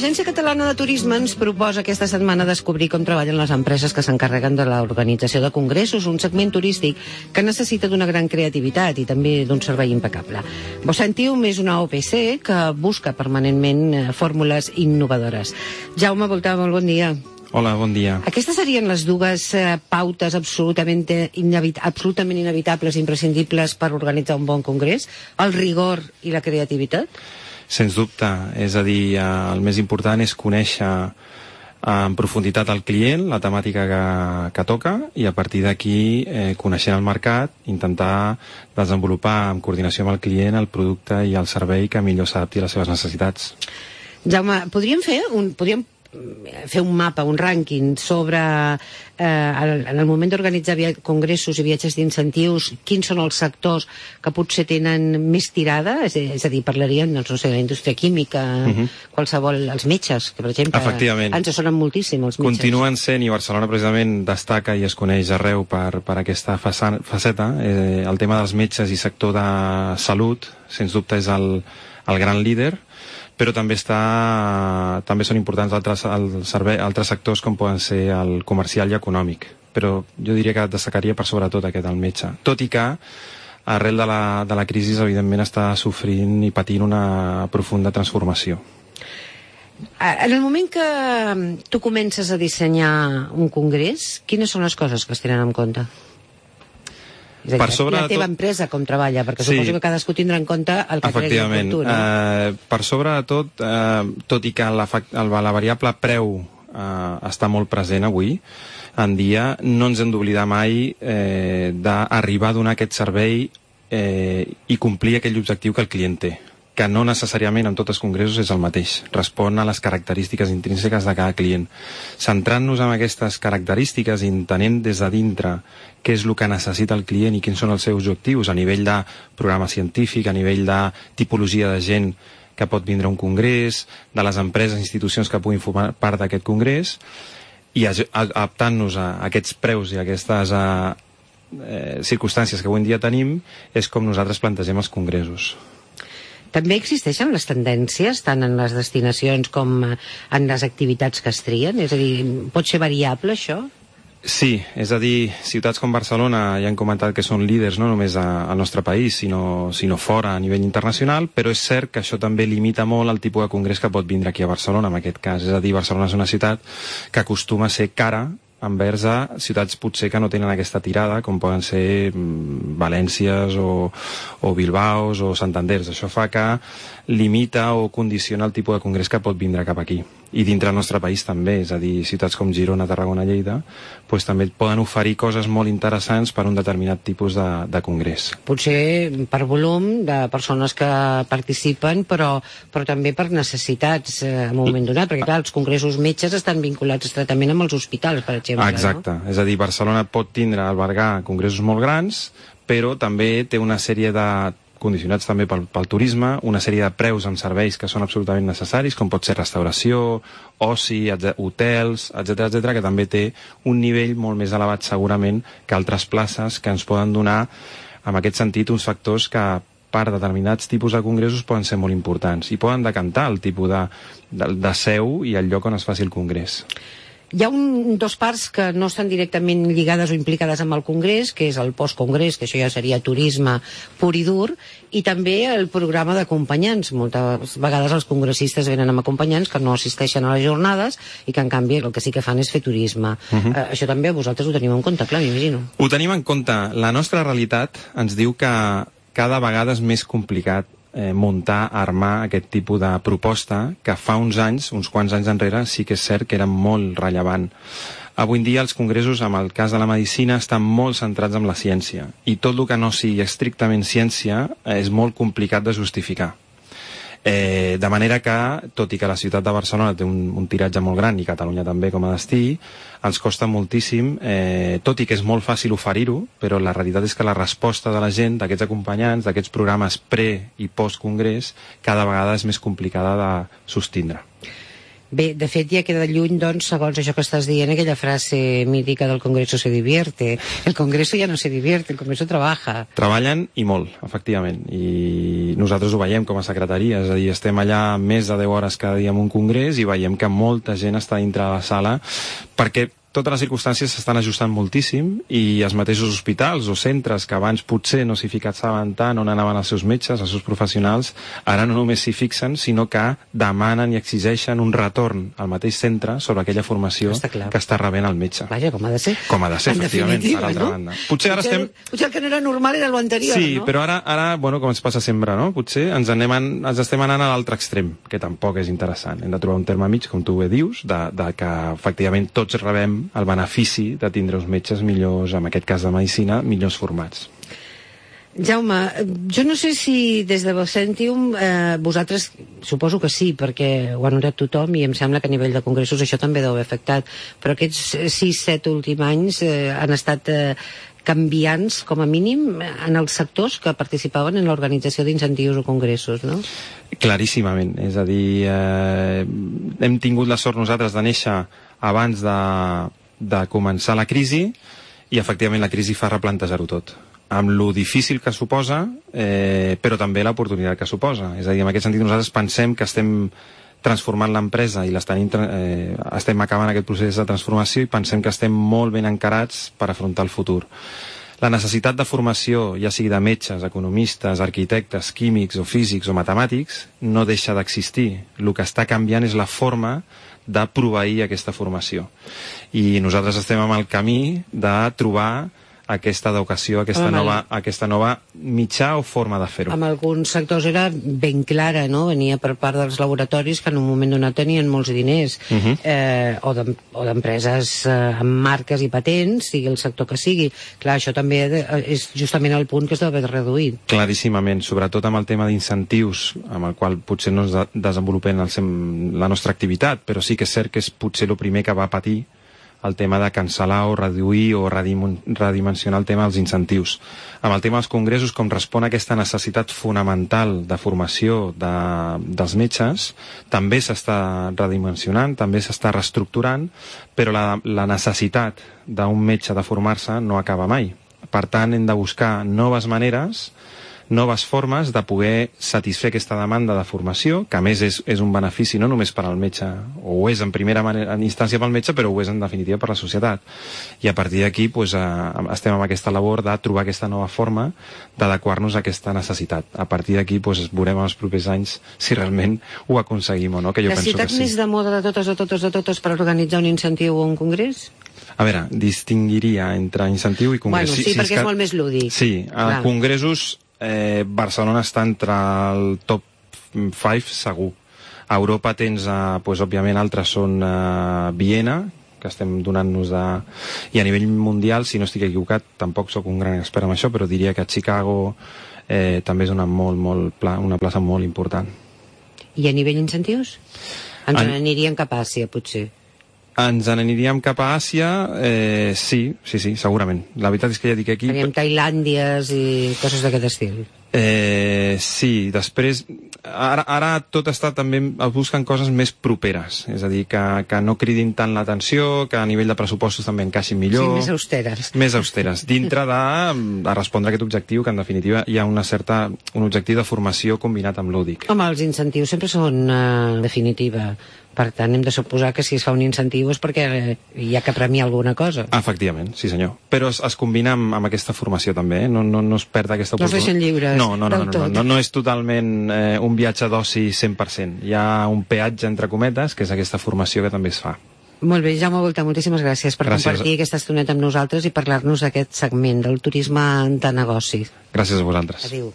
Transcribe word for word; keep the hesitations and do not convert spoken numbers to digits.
l'Agència Catalana de Turisme ens proposa aquesta setmana descobrir com treballen les empreses que s'encarreguen de l'organització de congressos, un segment turístic que necessita d'una gran creativitat i també d'un servei impecable. Vocentium és una O P C que busca permanentment fórmules innovadores. Jaume Voltà, molt bon dia. Hola, bon dia. Aquestes serien les dues eh, pautes absolutament, inevit absolutament inevitables, imprescindibles per organitzar un bon congrés? El rigor i la creativitat? Sens dubte. És a dir, eh, el més important és conèixer en profunditat el client, la temàtica que, que toca, i a partir d'aquí, eh, coneixent el mercat, intentar desenvolupar en coordinació amb el client el producte i el servei que millor s'adapti a les seves necessitats. Jaume, podríem fer un... Podríem fer un mapa, un rànquing sobre eh, el, en el moment d'organitzar congressos i viatges d'incentius, quins són els sectors que potser tenen més tirada? És, és a dir, parlaríem, doncs, no sé, de la indústria química, uh -huh. qualsevol, els metges, que per exemple ens sonen moltíssim els metges. Continuen sent, i Barcelona precisament destaca i es coneix arreu per, per aquesta faceta, eh, el tema dels metges i sector de salut, sens dubte és el, el gran líder, però també està també són importants altres, el servei, altres sectors com poden ser el comercial i econòmic, però jo diria que destacaria per sobretot aquest, el metge, tot i que arrel de la, de la crisi evidentment està sofrint i patint una profunda transformació. En el moment que tu comences a dissenyar un congrés, quines són les coses que es tenen en compte? És a dir, per sobre la teva tot... empresa com treballa, perquè sí, suposo que cadascú tindrà en compte el que cregui en tu, no? Eh, per sobre de tot, eh, tot i que la, la, la variable preu eh, està molt present avui en dia, no ens hem d'oblidar mai eh, d'arribar a donar aquest servei eh, i complir aquell objectiu que el client té, que no necessàriament en tots els congressos és el mateix, respon a les característiques intrínseques de cada client. Centrant-nos en aquestes característiques i entenent des de dintre què és el que necessita el client i quins són els seus objectius a nivell de programa científic, a nivell de tipologia de gent que pot vindre a un congrés, de les empreses i institucions que puguin formar part d'aquest congrés, i adaptant-nos a aquests preus i a aquestes a, eh, circumstàncies que avui en dia tenim, és com nosaltres plantegem els congressos. També existeixen les tendències, tant en les destinacions com en les activitats que es trien? És a dir, pot ser variable, això? Sí, és a dir, ciutats com Barcelona ja han comentat que són líders no només al nostre país, sinó, sinó fora a nivell internacional, però és cert que això també limita molt el tipus de congrés que pot vindre aquí a Barcelona, en aquest cas. És a dir, Barcelona és una ciutat que acostuma a ser cara envers a ciutats potser que no tenen aquesta tirada, com poden ser mm, Valències o, o Bilbaos o Santanders. Això fa que limita o condiciona el tipus de congrés que pot vindre cap aquí. I dintre del nostre país també, és a dir, ciutats com Girona, Tarragona, Lleida, pues, també poden oferir coses molt interessants per a un determinat tipus de, de congrés. Potser per volum de persones que participen, però, però també per necessitats eh, en un moment donat, perquè clar, els congressos metges estan vinculats estretament amb els hospitals, per exemple. Exacte, no? És a dir, Barcelona pot tindre, albergar congressos molt grans, però també té una sèrie de condicionats també pel, pel turisme, una sèrie de preus amb serveis que són absolutament necessaris, com pot ser restauració, oci, hotels, etcètera, etcètera, que també té un nivell molt més elevat segurament que altres places que ens poden donar, en aquest sentit, uns factors que per determinats tipus de congressos poden ser molt importants i poden decantar el tipus de, de, de seu i el lloc on es faci el congrés. Hi ha un, dos parts que no estan directament lligades o implicades amb el congrés, que és el postcongrés, que això ja seria turisme pur i dur, i també el programa d'acompanyants. Moltes vegades els congressistes venen amb acompanyants que no assisteixen a les jornades i que en canvi el que sí que fan és fer turisme. Uh-huh. eh, això també vosaltres ho teniu en compte, clar, m'imagino. Ho tenim en compte. La nostra realitat ens diu que cada vegada és més complicat Eh, muntar, armar aquest tipus de proposta que fa uns anys, uns quants anys enrere, sí que és cert que era molt rellevant. Avui en dia els congressos, en el cas de la medicina, estan molt centrats en la ciència i tot el que no sigui estrictament ciència eh, és molt complicat de justificar. Eh, de manera que, tot i que la ciutat de Barcelona té un, un tiratge molt gran i Catalunya també com a destí, ens costa moltíssim, eh, tot i que és molt fàcil oferir-ho, però la realitat és que la resposta de la gent, d'aquests acompanyants, d'aquests programes pre- i post-congrés, cada vegada és més complicada de sostindre. Bé, de fet ja queda lluny, doncs, segons això que estàs dient, aquella frase mítica del Congreso se divierte. El Congreso ja no se divierte, el Congreso trabaja. Treballen i molt, efectivament, i nosaltres ho veiem com a secretaria, és a dir, estem allà més de deu hores cada dia en un congrés i veiem que molta gent està dintre de la sala perquè totes les circumstàncies s'estan ajustant moltíssim i els mateixos hospitals o centres que abans potser no s'hi fixaven tant on anaven els seus metges, els seus professionals, ara no només s'hi fixen, sinó que demanen i exigeixen un retorn al mateix centre sobre aquella formació està que està rebent el metge. Vaja, com ha de ser. Com ha de ser, en efectivament, per altra no? banda. Potser ara potser, estem... Potser el que no era normal era l'anterior, sí, no? però ara, ara, bueno, com ens passa sempre, no? Potser ens, anem en, ens estem anant a l'altre extrem, que tampoc és interessant. Hem de trobar un terme mig, com tu bé dius, de, de que efectivament tots rebem el benefici de tindre uns metges millors, en aquest cas de medicina, millors formats. Jaume, jo no sé si des de Vocentium eh, vosaltres, suposo que sí, perquè ho ha notat tothom i em sembla que a nivell de congressos això també deu haver afectat, però aquests sis set últims anys eh, han estat eh, canviants, com a mínim, en els sectors que participaven en l'organització d'incentius o congressos, no? Claríssimament, és a dir, eh, hem tingut la sort nosaltres de néixer abans de de començar la crisi i efectivament la crisi fa replantejar-ho tot amb lo difícil que suposa eh, però també l'oportunitat que suposa, és a dir, en aquest sentit nosaltres pensem que estem transformant l'empresa i l'estem eh, estem acabant aquest procés de transformació i pensem que estem molt ben encarats per afrontar el futur. La necessitat de formació, ja sigui de metges, economistes, arquitectes, químics o físics o matemàtics, no deixa d'existir. El que està canviant és la forma de proveir aquesta formació. I nosaltres estem en el camí de trobar aquesta educació, aquesta, Home, nova, aquesta nova mitjà o forma de fer-ho. En alguns sectors era ben clara, no? Venia per part dels laboratoris que en un moment donat tenien molts diners, uh -huh. eh, o d'empreses eh, amb marques i patents, sigui el sector que sigui. Clar, això també és justament el punt que es deu haver reduït. Claríssimament, sobretot amb el tema d'incentius, amb el qual potser no es de desenvolupem el, la nostra activitat, però sí que és cert que és potser el primer que va patir el tema de cancel·lar o reduir o redimensionar el tema dels incentius. Amb el tema dels congressos, com respon a aquesta necessitat fonamental de formació de, dels metges, també s'està redimensionant, també s'està reestructurant, però la, la necessitat d'un metge de formar-se no acaba mai. Per tant, hem de buscar noves maneres, noves formes de poder satisfer aquesta demanda de formació, que a més és, és un benefici no només per al metge, o ho és en primera manera, en instància pel metge, però ho és en definitiva per la societat. I a partir d'aquí pues, eh, estem amb aquesta labor de trobar aquesta nova forma d'adequar-nos a aquesta necessitat. A partir d'aquí pues, veurem en els propers anys si realment ho aconseguim o no, que jo la penso que sí. ciutat més de moda de totes, de totes, de totes per organitzar un incentiu o un congrés? A veure, distingiria entre incentiu i congrés. Bueno, sí, sí perquè és, que... és molt més lúdic. Sí, a congressos Eh, Barcelona està entre el top cinc segur. A Europa tens, eh, pues, òbviament, altres són eh, Viena, que estem donant-nos de... I a nivell mundial, si no estic equivocat, tampoc sóc un gran expert en això, però diria que Chicago eh, també és una, molt, molt pla... una plaça molt important. I a nivell incentius? Ens en... aniríem cap a Àsia, potser. Ens n'aniríem cap a Àsia, eh, sí, sí, sí, segurament. La veritat és que ja dic aquí... Faríem Tailàndies i coses d'aquest estil. Eh, sí, després... Ara, ara tot està també... Es busquen coses més properes, és a dir, que, que no cridin tant l'atenció, que a nivell de pressupostos també encaixin millor... Sí, més austeres. Més austeres, dintre de, de respondre a aquest objectiu, que en definitiva hi ha una certa, un objectiu de formació combinat amb lúdic. Home, els incentius sempre són, eh, en definitiva... Per tant, hem de suposar que si es fa un incentiu és perquè hi ha que premiar alguna cosa. Efectivament, sí senyor. Però es, es combina amb, amb aquesta formació també, eh? no, no, no es perd aquesta oportunitat. No es deixen lliures no, no, no, del no, tot. No, no, no és totalment eh, un viatge d'oci cent per cent. Hi ha un peatge, entre cometes, que és aquesta formació que també es fa. Molt bé, Jaume Volta, moltíssimes gràcies per gràcies. compartir aquesta estoneta amb nosaltres i parlar-nos d'aquest segment del turisme de negocis. Gràcies a vosaltres. Adéu.